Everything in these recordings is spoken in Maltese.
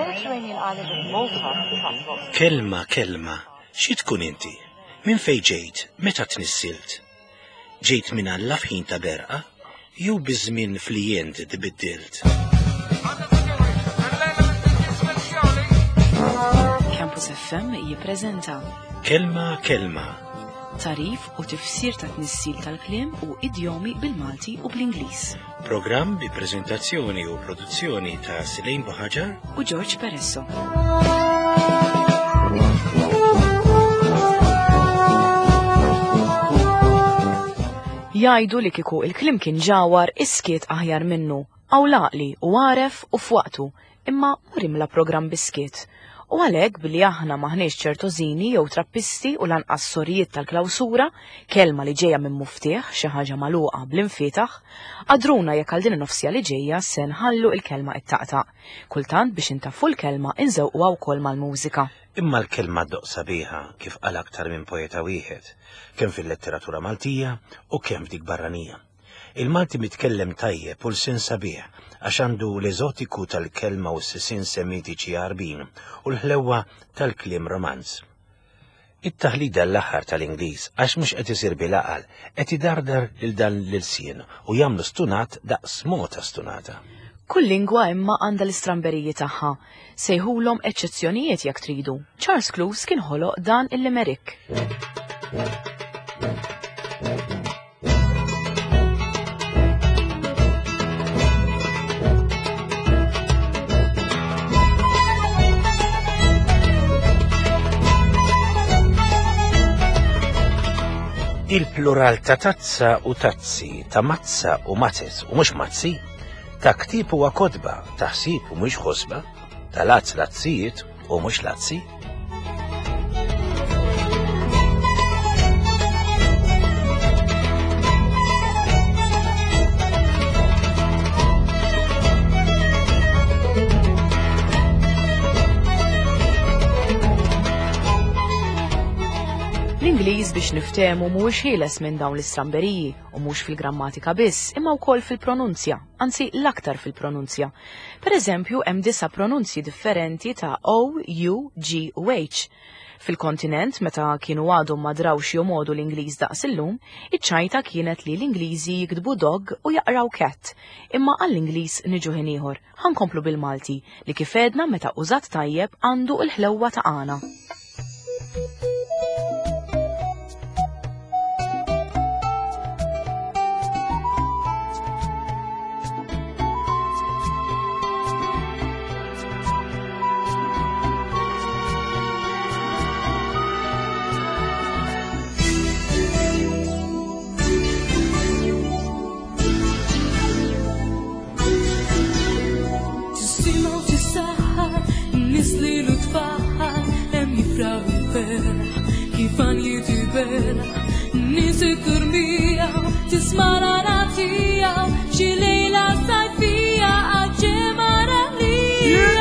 Mediterranean island of Malta attracts lots of Kelma, kelma, xi tkun inti? Minn fejn ġejt, meta tnissilt? Ġejt minn Alla f'ħin ta' berqa, jew biż-żmien fli int tbiddilt? Campus FM jippreżenta Kelma, kelma, tarif u tifsir ta' tnissil tal-kliem u idjomi bil-Malti u bl-Ingliż. programm bi preżentazzjoni u produzzjoni ta' Silejn Buħaġar U George Peresso. Jgħidu li kieku il-kliem kien ġawar iskiet aħjar minnu, għaw laqli u għaref u f'waqtu, imma mur imla programm biskiet. U għalhekk billi aħna maħniex ċertożini jew trappisti u lanqas sorijiet tal-klawsura, kelma li ġejja minn muftieħ xi ħaġa magħluqa bl-infitaħ, għadruna jekk għal din in-nofsija li ġejja se nħallu il-kelma it-taqtaq. Kultant biex intaffu l-kelma inżewquha wkoll mal-mużika. Imma l-kelma ddoq sabiħa kif qal aktar minn poeta wieħed, kemm fil-letteratura Maltija u kemm f'dik barranija. Il-Malti mitkellem tajjeb u l-sin sabiħ għax għandu l-eżotiku tal-kelma u s-sisien semitiċi Għarbin u l-ħlewwa tal-kliem Romanz. It-taħlida l-aħħar tal-Ingliż għax mhux qed isir bil-għaqal qed idardar lil dan l-ilsien u jagħmlu stunat daqs mota stunata. Kull lingwa imma għandha l-istramberiji tagħha. Sejħulhom eċċezzjonijiet jekk tridu. Charles Cluse kien ħoloq dan il-limerick. Il-plural ta' tazza u tazzi, ta' mazza u mazez u mhux mazzi, ta' ktieb huwa kotba, ta' ħsieb u mhux ħosba, ta' lazz lazzijiet u mhux lazzi. L-Ingliż biex niftehmu mhuwiex ħieles minn dawn l-istramberiji u mhux fil-grammatika biss, imma wkoll fil-pronunzja, anzi l-aktar fil-pronunzja. Per eżempju, hemm disa' pronunzji differenti ta' O, U, G u H. Fil-kontinent, meta kienu għadhom ma drawx jomodu l-Ingliż daqs illum, iċ-ċajta kienet li l-Ingliżi jiktbu dog u jaqraw cat. Imma għall-Ingliż niġu ħin ieħor. Ħa nkomplu bil-Malti, li kif għedna meta użat tajjeb għandu l-ħlewwa ta' għana. Tisimgħu tissaħħar, nies li l-tfaħħar, hemm jifraħ il-ferħ, kif għanjiet iberħ. Nies it-turmija, tisma' l-għana tiegħu, xi lejla sajfija għaġġema ralija.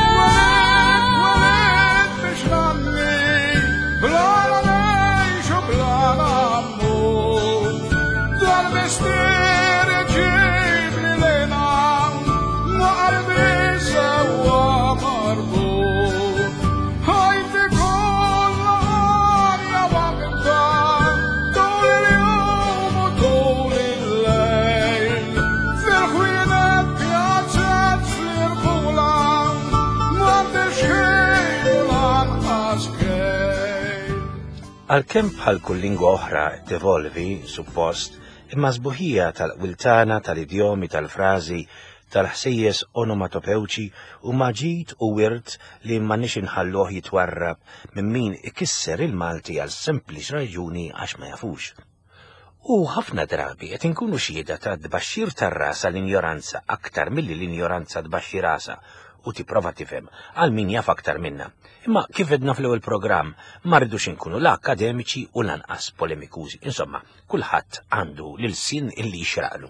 Għalkemm bħal kull lingwa oħra tevolvi, suppost, imma sbuħija tal-qwiltana, tal-idjomi, tal-frażi, tal-ħsejjes onomatopewċi u maġid u wirt li m'għandniex inħalluh jitwarrab minn min ikisser il-Malti għal sempliċi raġuni għax ma jafux. U ħafna drabi qed inkunu xhieda ta' tbaxxir tar-ras għall-injoranza aktar milli l-injoranza tbaxxi rasha u tipprova tifhem għal min jaf aktar minna. Imma kif għedna fl-ewwel programm, ma rridux inkunu la akademiċi u lanqas polemikużi. Insomma, kulħadd għandu l-ilsien illi jixraqlu.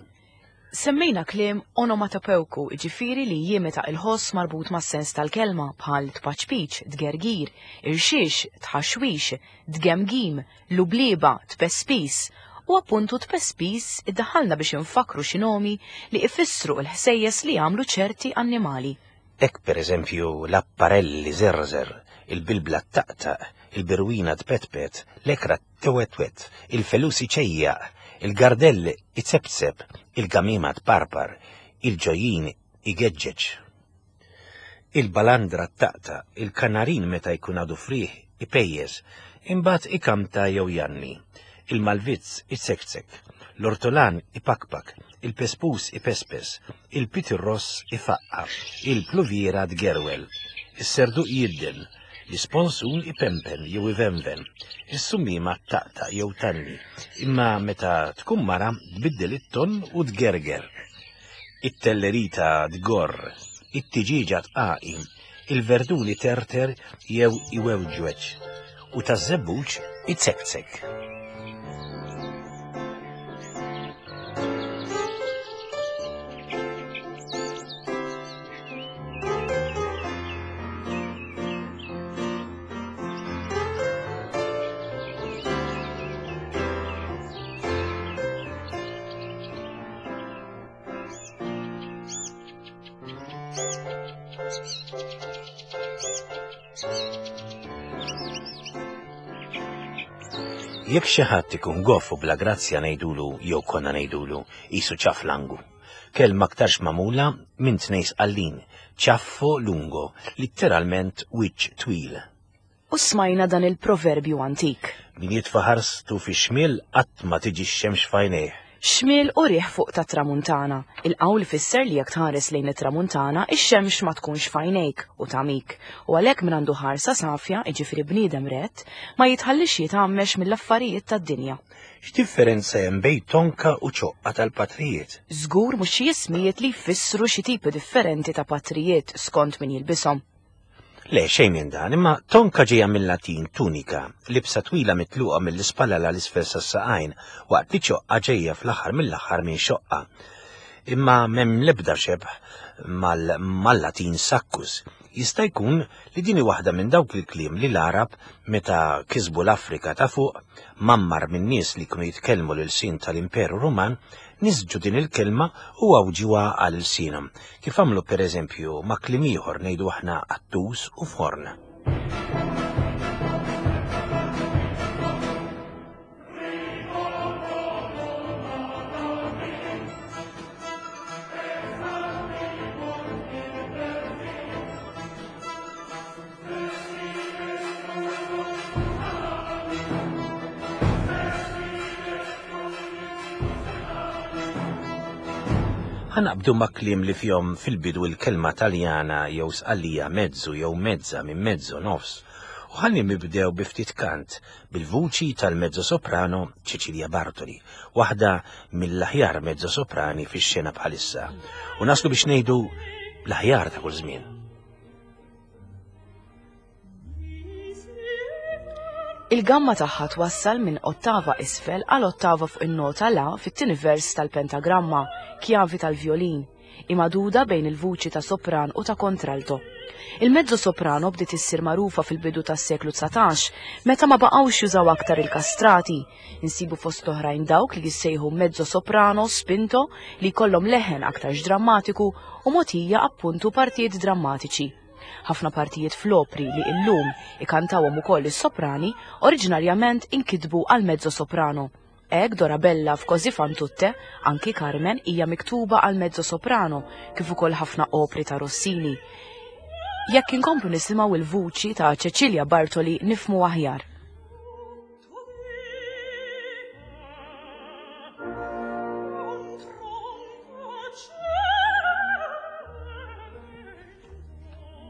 Semmejna kliem onomatopewku, ġifieri li jimita il-ħoss marbut mas-sens tal-kelma bħal tpaċpiċ, tgergir, irxix, tħaxwix, tgemgim, lubliba, tpespis, u appuntu tpespis iddaħħalna biex infakkru xi nomi li ifissru l-ħsejjes li jagħmlu ċerti annimali. Hekk pereżempju l-apparell iżerżer, il-bilbla ttaqtaq, il-birwina tpetpet, l-ekra tewetwet, il-felus iċejjaq, il-gardell icepcep, il-gamima tparpar, il-ġojjin igeġġeġ. Il-balandra ttaqtaq, il-kanarin meta jkun għadu frieħ ipejjeż, imbagħad ikanta jew jgħanni, il-malvizz izekzek, l-ortolan ipakpak, il-pespus ipespes, il-pitirross ifaqqa', il-pluviera tgerwel, is-serduq jidden, l-isponsun ipempen jew ivenven, is-summiema ttaqtaq jew tgħanni, imma meta tkun mara tbiddel it-ton u tgerger. It-tellerita tgorr, it-tiġieġa tqaqi, il-verdun iterter jew iwewġweġ, u taż-żebbuġ izekzek. Jekk xi ħadd ikun goff u bla grazzja ngħidulu jew konna ngħidulu qisu ċaflangu. Kelma aktarx magħmula minn tnejn sqallin, ciaffo lungo, litteralment wiċċ twil. U smajna dan il-proverbju antik. Min jitfa' ħarstu fix-xmiel qatt ma tiġi x-xemx f'għajnejh. Xmiel u riħ fuq tat-tramuntana. Il-qawl ifisser li jekk tħares lejn it-tramuntana, ix-xemx ma tkunx f'għajnejk u tagħmik. U għalhekk min għandu ħarsa safja, jiġifieri bniedem rett, ma jitħallix jitgħammex mill-affarijiet tad-dinja. X'differenza hemm bejn tonka u ċoqqa tal-patrijiet? Żgur mhux xi ismijiet li jfissru xi tipi differenti ta' patrijiet skont min jilbishom. Le, xejn minn dan, imma tonka ġejja mill-Latin tunika, libsa twila mitluqa mill-ispalla 'l isfel sas-saqajn, waqt li ċoqqa ġejja fl-aħħar mill-aħħar minn xoqqa. Imma m'hemm l-ebda xebh mal-Latin saccus. Jista' jkun li din hi waħda minn dawk il-kliem li l-Għarab, meta kisbu l-Afrika ta' Fuq, mgħammar minn nies li kienu jitkellmu l-ilsien tal-Imperu Ruman, nisġu din il-kelma u għawġuha għal ilsienhom, kif għamlu pereżempju ma' kliem ieħor ngħidu aħna qattus u forn. Ħa naqbdu ma' kliem li fihom fil-bidu l-kelma Taljana jew Sqallija mezzu jew mezza minn mezzo nofs u ħalli nibdew bi ftit kant bil-vuċi tal-mezzo-soprano Cecilia Bartoli, waħda mill-aħjar mezzo-soprani fix-xena bħalissa. U naslu biex ngħidu l-aħjar ta' kull żmien. Il-gamma tagħha twassal minn ottava isfel għal ottava fuq in-nota la fit-tieni vers tal-pentagramma, kjavi tal-vjolin. Hi magħduda bejn il-vuċi ta' sopran u ta' kontralto. Il-mezzo soprano bdiet issir magħrufa fil-bidu tas-seklu 19, meta ma baqgħux jużaw aktar il-kastrati. Insibu fost l-oħrajn dawk li jissejħu mezzo soprano spinto li jkollhom leħen aktarx drammatiku u mogħtija appuntu partijiet drammatiċi. Ħafna partijiet fl-opri li illum ikantawhom ukoll is-soprani oriġinarjament inkitbu għal mezzo soprano. Hekk Dorabella f'Così fan tutte, anki Carmen hija miktuba għal mezzo soprano, kif ukoll ħafna opri ta' Rossini. Jekk inkomplu nisimgħu il-vuċi ta' Cecilia Bartoli nifhmu aħjar.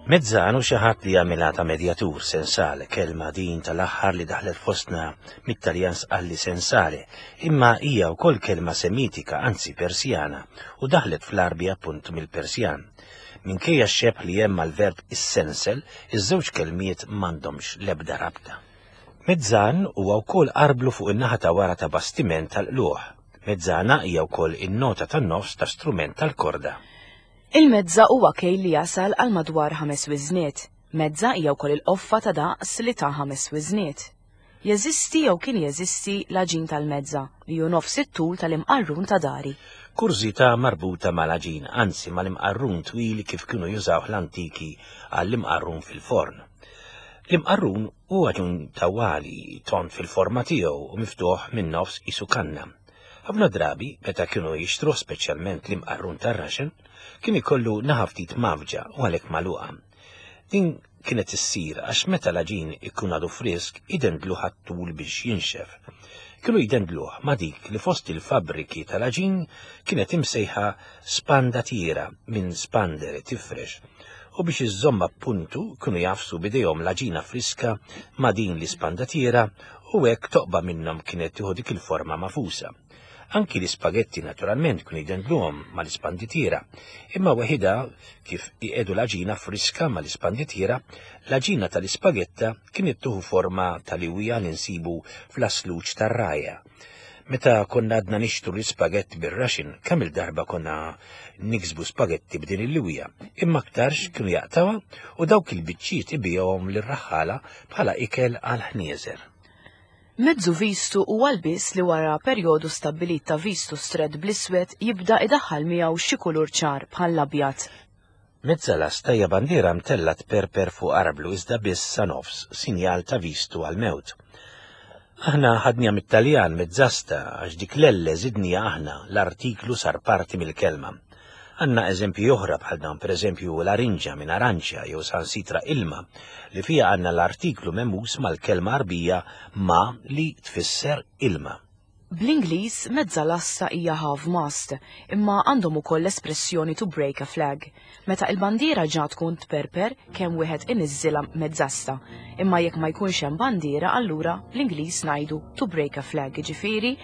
Mezzan hu xi ħadd li jagħmilha ta' medjatur, sensale, kelma din tal-aħħar li daħlet fostna mit-Taljan sqalli sensale, imma hija wkoll kelma Semitika, anzi Persjana, u daħlet fl-Għarbi appuntu mill-Persjan. Minkejja x-xebh li hemm mal-verb issensel, iż-żewġ kelmiet m'għandhomx l-ebda rabta. Mezzan huwa wkoll arblu fuq in-naħa ta' wara ta' bastiment tal-qlugħ. Mezzana hija wkoll in-nota tan-nofs ta' strument tal-korda. Il-mezza huwa kejl li jasal għal madwar ħames wiżniet. Mezza hija wkoll il-qoffa ta' daqs li ta' ħames wiżniet. Jeżisti jew kien jeżisti l-għaġin tal-mezza li hu nofs it-tul tal-imqarrun ta' dari. Kurżità marbuta mal-għaġin, anzi mal-imqarrun twil kif kienu jużawh l-antiki għall-imqarrun fil-forn. L-imqarrun hu għaġun tawwali, tond fil-forma tiegħu u miftuħ min-nofs qisu kanna. Ħafna drabi, meta kienu jixtruh speċjalment l-imqarrun tar-raxen, kien ikollu naħa ftit mgħaffġa u għalhekk magħluqa. Din kienet issir għax meta l-għaġin ikun għadu frisk idendluh għat-tul biex jinxef. Kienu jdendluh ma' dik li fost il-fabbriki tal-għaġin kienet imsejħa spandatiera minn spandere tifrex u biex iżżomm appuntu kienu jagħfsu b'idejhom l-għaġina friska ma' din l-ispandatiera u hekk toqba minnhom kienet tieħu dik il-forma magħfusa. Anki l-ispagetti naturalment kienu jdendluhom mal-ispanditiera, imma weħidha kif iqiegħdu l-għaġina friska mal-ispanditiera, l-għaġina tal-ispagetta kienet tuħu forma tal-iwija li nsibu fl-asluċ tar-rajja. Meta konna għadna nixtru l-ispagett bir-raxin, kemm il-darba konna niksbu spagetti b'din il-liwija, imma aktarx kienu jaqtawha u dawk il-biċċiet ibigħuhom lir-raħħala bħala ikel għall-ħnieżer. Mezzu vistu huwa lbies li wara perjodu stabbilit ta' vistu strett bl-iswed jibda idaħħal miegħu xi kulur ċar bħall-abjad. Mezza lasta hija bandiera mtellgħa tperper fuq arblu iżda biss sa nofs, sinjal ta' vistu għall-mewt. Aħna ħadniha mit-Taljan mezzasta għax dik l-elle żidniha aħna, l-artiklu sar parti mill-kelma. Għandna eżempji oħra bħal dawn, pereżempju larinġa minn aranċja jew sansitra ilma, li fiha għandna l-artiklu mehmuż mal-kelma Għarbija ma li tfisser ilma. Bl-Ingliż, mezza lasta hija half mast, imma għandhom ukoll l-espressjoni to break a flag. Meta il-bandiera ġa tkun tperper, kemm wieħed iniżżilha mezzasta. Imma jekk ma jkunx hemm bandiera allura bl-Ingliż ngħidu to break a flag, jiġifieri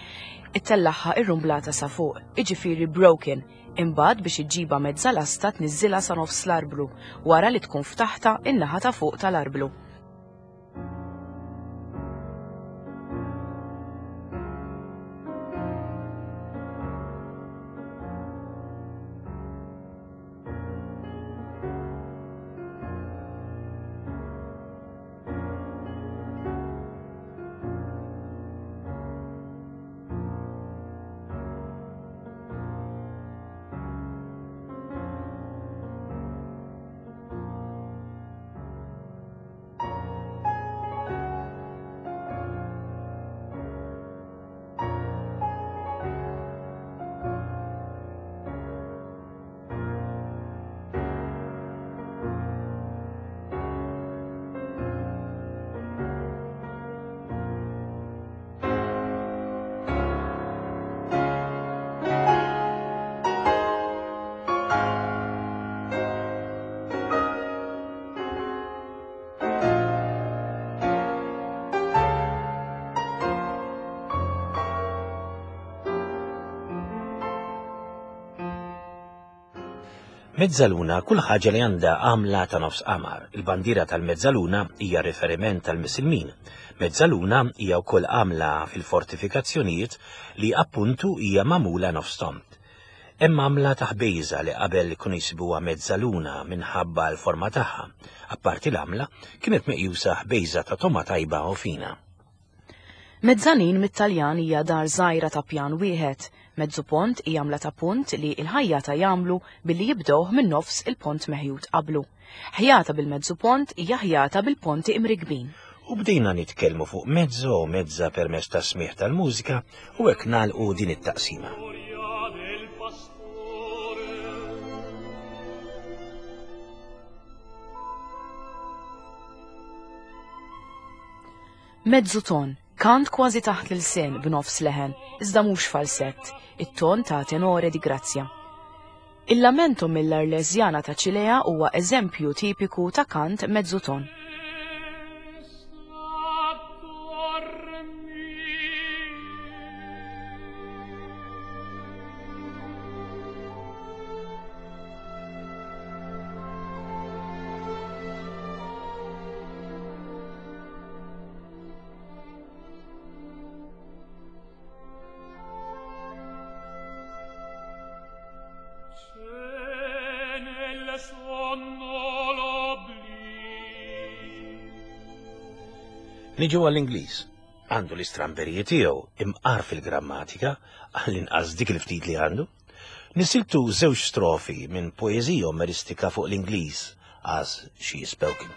ittellagħha irrumblata sa fuq, jiġifieri broken, Imbagħad biex iġġibha mezza lasta tniżżilha sa nofs l-arblu wara li tkun ftaħtha in-naħa ta' fuq tal-arblu. Mezzaluna kull ħaġa li għandha għamla ta' nofs qamar. Il-bandiera tal-mezzaluna hija riferiment tal-Misilmin. Mezzaluna hija wkoll għamla fil-fortifikazzjonijiet li appuntu hija magħmula nofs tond. Hemm għamla ta' ħbejża li qabel kienu jsibuha mezzaluna minħabba l-forma tagħha. Apparti l-għamla, kienet meqjusa ħbejża ta' togħma tajba u fina. Mezzanin mit-Taljan hija dar żgħira ta' pjan wieħed. Mezzu pont hi għamla ta' punt li l-ħajjata jagħmlu billi jibdewh minn nofs il-pont meħjut qablu. Ħjata bil-mezzu pont hija ħjata bil-ponti imrikkbin. U bdejna nitkellmu fuq mezzo u mezza permezz tas-smigħ tal-mużika u hekk nagħlqu din it-taqsima. Mezzu ton, kant kważi taħt l-ilsien b'nofs leħen, iżda mhux falsett, it-ton ta' tenore di grazia. Il-Lamento mill-Arlesiana ta' Cilea huwa eżempju tipiku ta' kant mezzu ton. Niġu għall-Ingliż. Għandu l-istramberiji tiegħu imqar fil-grammatika, għall-inqas dik il-ftit li għandu. Nisiltu żewġ strofi minn poeżija omeristika fuq l-Ingliż as she is spoken.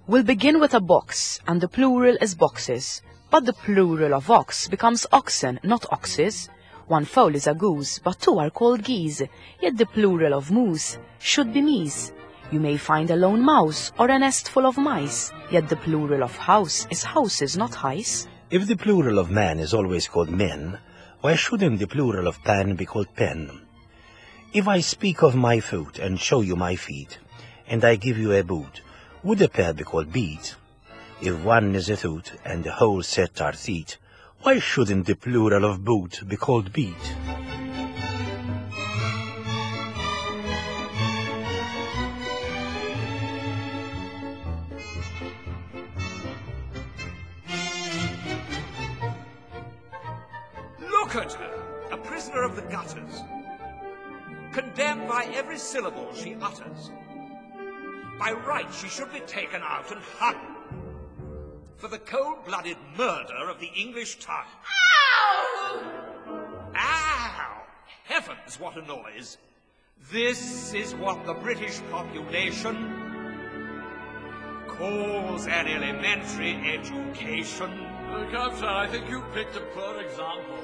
We'll begin with a box, and the plural is boxes. But the plural of ox becomes oxen, not oxes. One fowl is a goose, but two are called geese. Yet the plural of moose should be meese. You may find a lone mouse or a nest full of mice. Yet the plural of house is houses, not hice. If the plural of man is always called men, why shouldn't the plural of pan be called pen? If I speak of my foot and show you my feet, and I give you a boot, would a pair be called beat? If one is a toot and the whole set are feet, why shouldn't the plural of boot be called beat? Look at her, a prisoner of the gutters, condemned by every syllable she utters. By right, she should be taken out and hung for the cold-blooded murder of the English tongue. Ow! Ow! Heavens, what a noise! This is what the British population calls an elementary education. Look, sir, I think you picked a poor example.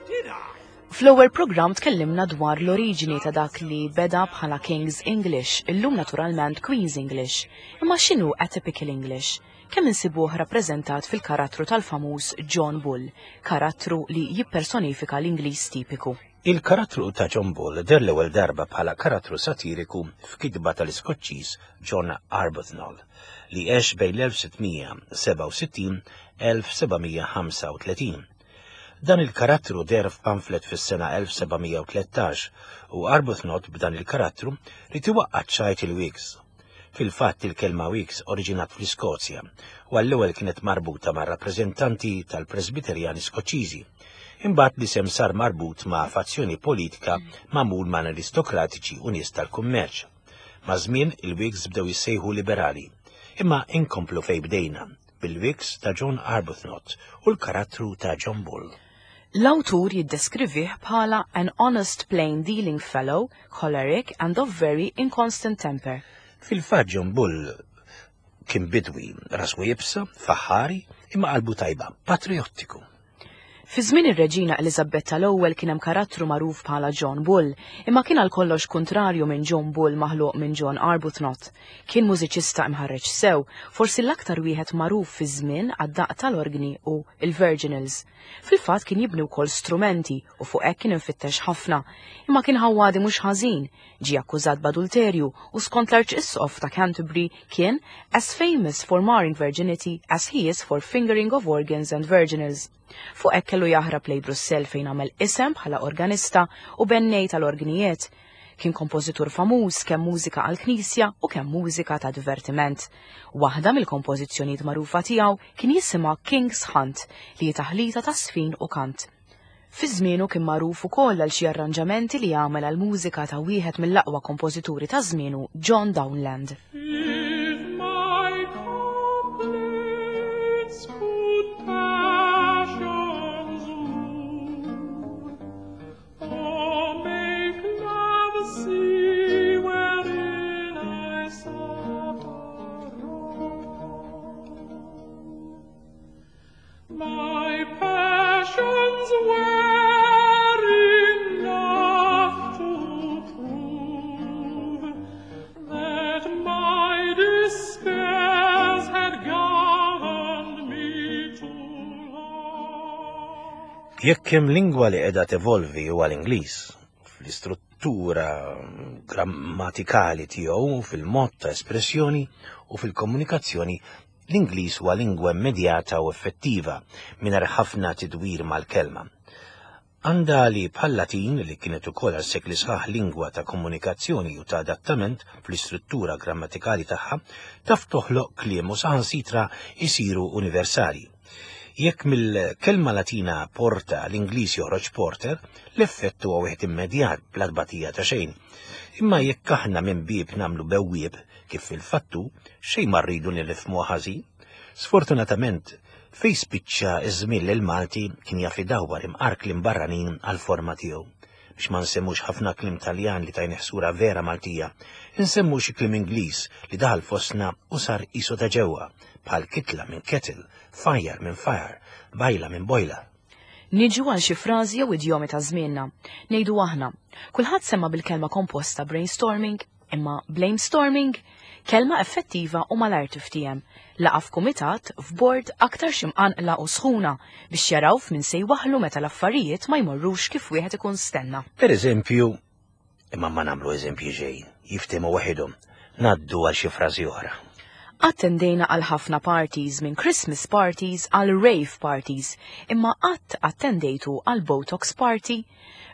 Did I? Fl-ewwel programm tkellimna dwar l-oriġini ta' dak li beda bħala King's English, illum naturalment Queen's English. Imma x'inhu Atypical English? Kemm insibuh rappreżentat fil-karattru tal-famuż John Bull, karattru li jippersonifika l-Ingliż tipiku. Il-karattru ta' John Bull deher l-ewwel darba bħala karattru satiriku f'kitba tal-Iskoċċiż John Arbuthnot li għex bejn l-1667 1735. Dan il-karattru deher f'pamflet fis-sena 1713 u Arbuthnot b'dan il-karattru ried iwaqqa' ċ-ċajt il-Whigs. Fil-fatt il-kelma Whigs oriġinat fl-Iskozja u għall-ewwel kienet marbuta ma' rappreżentanti tal-Presbiterjani Skoċċiżi. Imbagħad l-isem sar marbut ma' fazzjoni politika magħmul ma' aristokratiċi u nies tal-kummerċ. Maż-żmien il-Whigs bdew jissejħu liberali. Imma inkomplu fejn bdejna, bil-Whigs ta' John Arbuthnot u l-karattru ta' John Bull. L-awtur jiddeskrivih bħala an honest plain dealing fellow, choleric and of very inconstant temper. Fil-fatt John Bull kien bidwi, rasu iebsa, faħħari, imma qalbu tajba, patriottiku. Fi żmien ir-Reġina Eliżabetta l-ewwel kien hemm karattru magħruf bħala John Bull, imma kien għal kollox kuntrarju minn John Bull maħluq minn John Arbuthnot. Kien mużiċista imħarreġ sew, forsi l-aktar wieħed magħruf fi żmien għad-daqq tal-orgni u l-virginals. Fil-fatt kien jibni wkoll strumenti u fuq hekk kien imfittex ħafna, imma kien ħawwadi mhux ħażin, ġie akkużat b'adulterju u skont l-Arċisqof ta' Canterbury kien as famous for marring virginity as he is for fingering of organs and virginals. Fuq hekk kellu jaħrab lejn Brussell fejn għamel isem bħala organista u bennej tal-orgnijiet. Kien kompożitur famuż kemm mużika għall-knisja u kemm mużika ta' divertiment. Waħda mill-kompożizzjonijiet magħrufa tiegħu kien jisimha King's Hunt li hi taħlita ta' żfin u kant. Fi żmienu kien magħruf ukoll għal xi arranġamenti li għamel għall-mużika ta' wieħed mill-aqwa kompożituri ta' żmienu, John Downland. If my couplets could passions move, or make love see wherein I suffer wrong, my passions were enough to prove that my despairs had governed me too long. Jekk hemm lingwa li qiegħda tevolvi huwa l-Ingliż, fl-istruttura grammatikali tiegħu, fil-mod ta' espressjoni u fil-komunikazzjoni. L-Ingliż huwa lingwa immedjata u effettiva, mingħajr ħafna tidwir mal-kelma. Għandha li bħal-Latin, li kienet ukoll għal sekli sħaħ lingwa ta' komunikazzjoni u ta' adattament fl-istruttura grammatikali tagħha, taf toħloq kliem u saħansitra jsiru universali. Jekk mill-kelma Latina porta l-Ingliż joħroġ porter, l-effett huwa wieħed immedjat bla tbatija ta' xejn. Imma jekk aħna minn bieb nagħmlu bewwieb, kif fil-fattu, xejn ma rridu li nifhmuha ħażin. Sfortunatament, fejn spiċċa ż-żmien li l-Malti kien jaf idawwar imqar kliem barranin għall-forma tiegħu. Biex ma nsemmux ħafna kliem Taljan li tajnih sura vera Maltija, insemmu xi kliem Ingliż li daħal fostna u sar qisu ta' ġewwa, bħal kitla minn kettle, fajjar minn fire, bajla minn boiler. Niġu għal xi frażi jew idjomi ta' żmienna. Ngħidu aħna, kulħadd sema' bil-kelma komposta brainstorming, imma blamestorming? Kelma effettiva u malajr tiftiehem. Laqgħa f'kumitat, f'bord, aktarx imqanqla u sħuna, biex jaraw f'min se jwaħħlu meta l-affarijiet ma jmorrux kif wieħed ikun stenna. Per eżempju, imma ma nagħmlu eżempji xejn, jiftehmu waħidhom. Ngħaddu għal xi frażi oħra. Attendejna għal ħafna parties, minn Christmas parties għal rave parties, imma qatt attendejtu għal Botox party?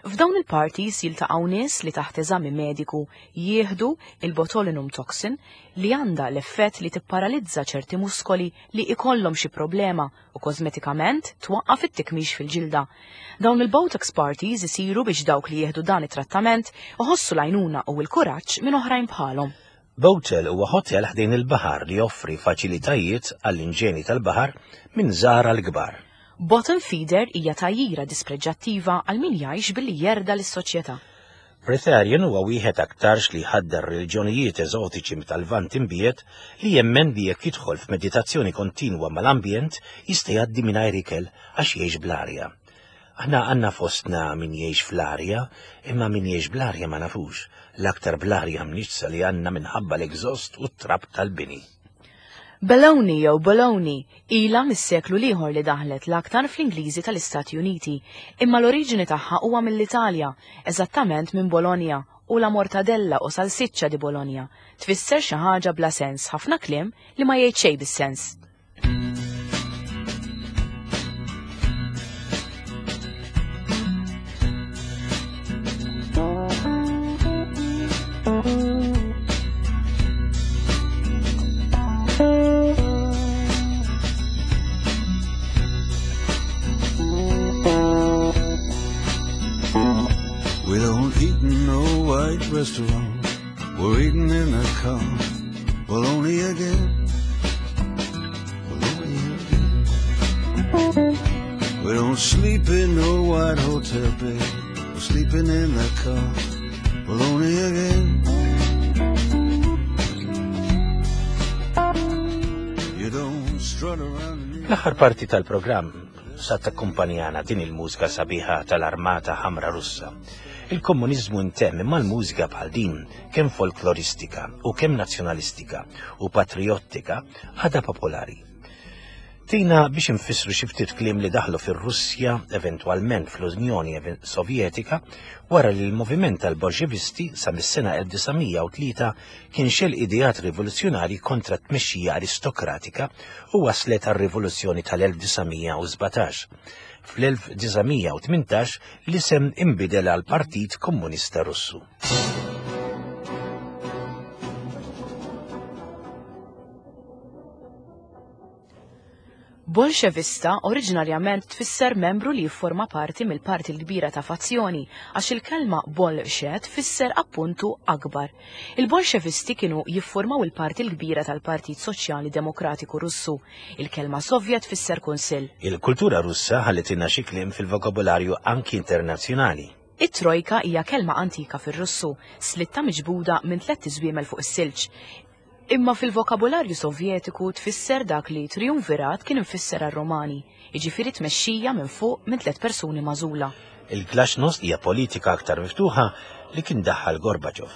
F'dawn il-parties jiltaqgħu nies li taħt eżami mediku jieħdu il-botulinum toxin li għandha l-effett li tipparalizza ċerti muskoli li ikollhom xi problema u kosmetikament twaqqaf it-tikmix fil-ġilda. Dawn il-Botox parties isiru biex dawk li jieħdu dan it-trattament iħossu l-għajnuna u l-kuraġġ minn oħrajn bħalhom. Botel huwa hotel ħdejn il-baħar li joffri faċilitajiet għall-inġeni tal-baħar minn żgħar għal kbar. Bottom feeder hija tgħajjira dispreġġattiva għal min jgħix billi jerda lis-soċjetà. Breatharian huwa wieħed aktarx li jħaddar reliġjonijiet eżotiċi tal-Lvant Imbiegħed li jemmen li jekk jidħol f'meditazzjoni kontinwa mal-ambjent jista' jgħaddi mingħajr ikel għax jgħix bl-arja. Aħna għandna fostna min jgħix fl-arja, imma min jgħix bl-arja ma nafux, l-aktar bl-arja mniġġsa li għandna minħabba l-exhaust u t-trab tal-bini. Baloney jew bologna ilha mis-seklu l-ieħor li daħlet l-aktar fl-Ingliżi tal-Istati Uniti, imma l-oriġini tagħha huwa mill-Italja, eżattament minn Bologna, u la mortadella o salsiccia di Bologna tfisser xi ħaġa bla sens, ħafna kliem li ma jgħid xejn bis-sens. We don't eat in no white restaurant. We're eating in a car. Well, only again. Well, only again. We don't sleep in no white hotel bed. We're sleeping in the car. Well, only again. You don't strut around in L-aħħar parti tal-programm sa takkumpanjana din il-mużika sabiħa tal-Armata Ħamra Russa. Il-komuniżmu ntemm imma l-mużika bħal din, kemm folkloristika u kemm nazzjonalistika u patrijottika, għadha popolari. Tina biex infissru xi ftit kliem li daħlu fir-Russja, eventwalment fl-Unjoni Sovjetika, wara li l-moviment tal-Bolxevisti sa mis-sena 1903 kien xel ideat rivoluzzjonarji kontra t-tmexxija aristokratika u waslet għar-rivoluzzjoni tal-1917. Fl-1918 l-isem inbidel għal Partit Komunista Russu. Bolxevista oriġinarjament tfisser membru li jifforma parti mill-parti l-kbira ta' fazzjoni, għax il-kelma bolxe tfisser appuntu akbar. Il-Bolxevisti kienu jiffurmaw il-parti l-kbira tal-Partit Soċjali Demokratiku Russu. Il-kelma Sovjet tfisser kunsill. Il-kultura Russa ħallitilna xi kliem fil-vokabularju anki internazzjonali. It-trojka hija kelma antika fir-Russu, slitta miġbuda minn tlett iżwiemel fuq is-silġ. Imma fil-vokabularju Sovjetiku tfisser dak li triumvirat kien imfisser għar-Romani, jiġifieri tmexxija minn fuq minn tliet persuni magħżula. Il-Glasnost hija politika aktar miftuħa li kien daħħal Gorbachev.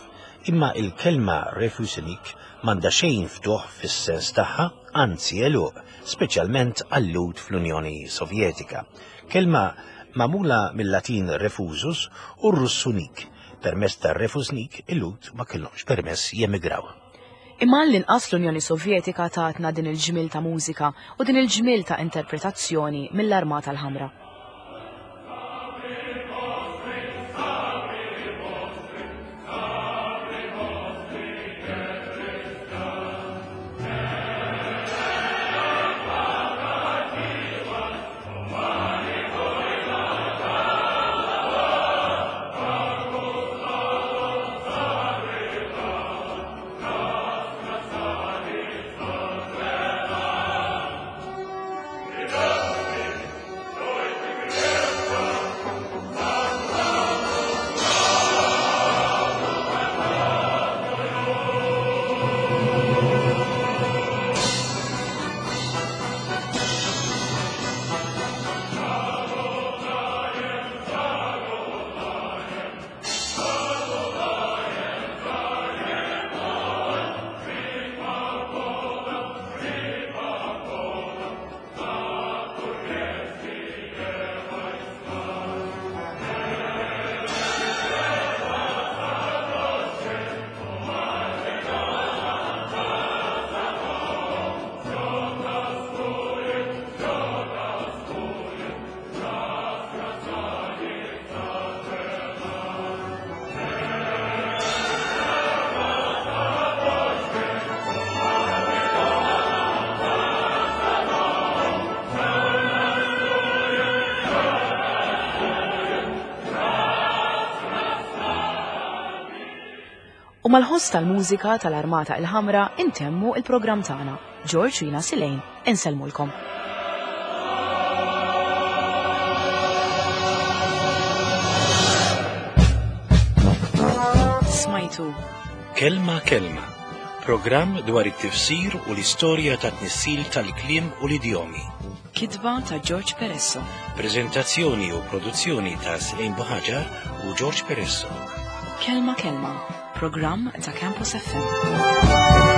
Imma il-kelma refusenik m'għandha xejn ftuħ fis-sens tagħha, anzi għeluq, speċjalment għal-Lhud fl-Unjoni Sovjetika. Kelma magħmula mill-Latin refusus u r-Russu nik. Permezz tar-refusnik il-Lhud ma kellhomx permess jemigraw. Imma għall-inqas l-Unjoni Sovjetika tatna din il-ġmiel ta' mużika u din il-ġmiel ta' interpretazzjoni mill-Armata l-Ħamra. U mal-ħoss tal-mużika tal-Armata il-Ħamra intemmu il-programm tagħna. George u jina Silejn, insellmulkom. Smajtu. Kelma Kelma, programm dwar it-tifsir u l-istorja ta' tnissil tal-kliem u l-idjomi. Kitba ta' George Peresso. Prezentazzjoni u produzzjoni ta' Selin Buħaġar u George Peresso. Kelma Kelma, programm ta' Campus FM.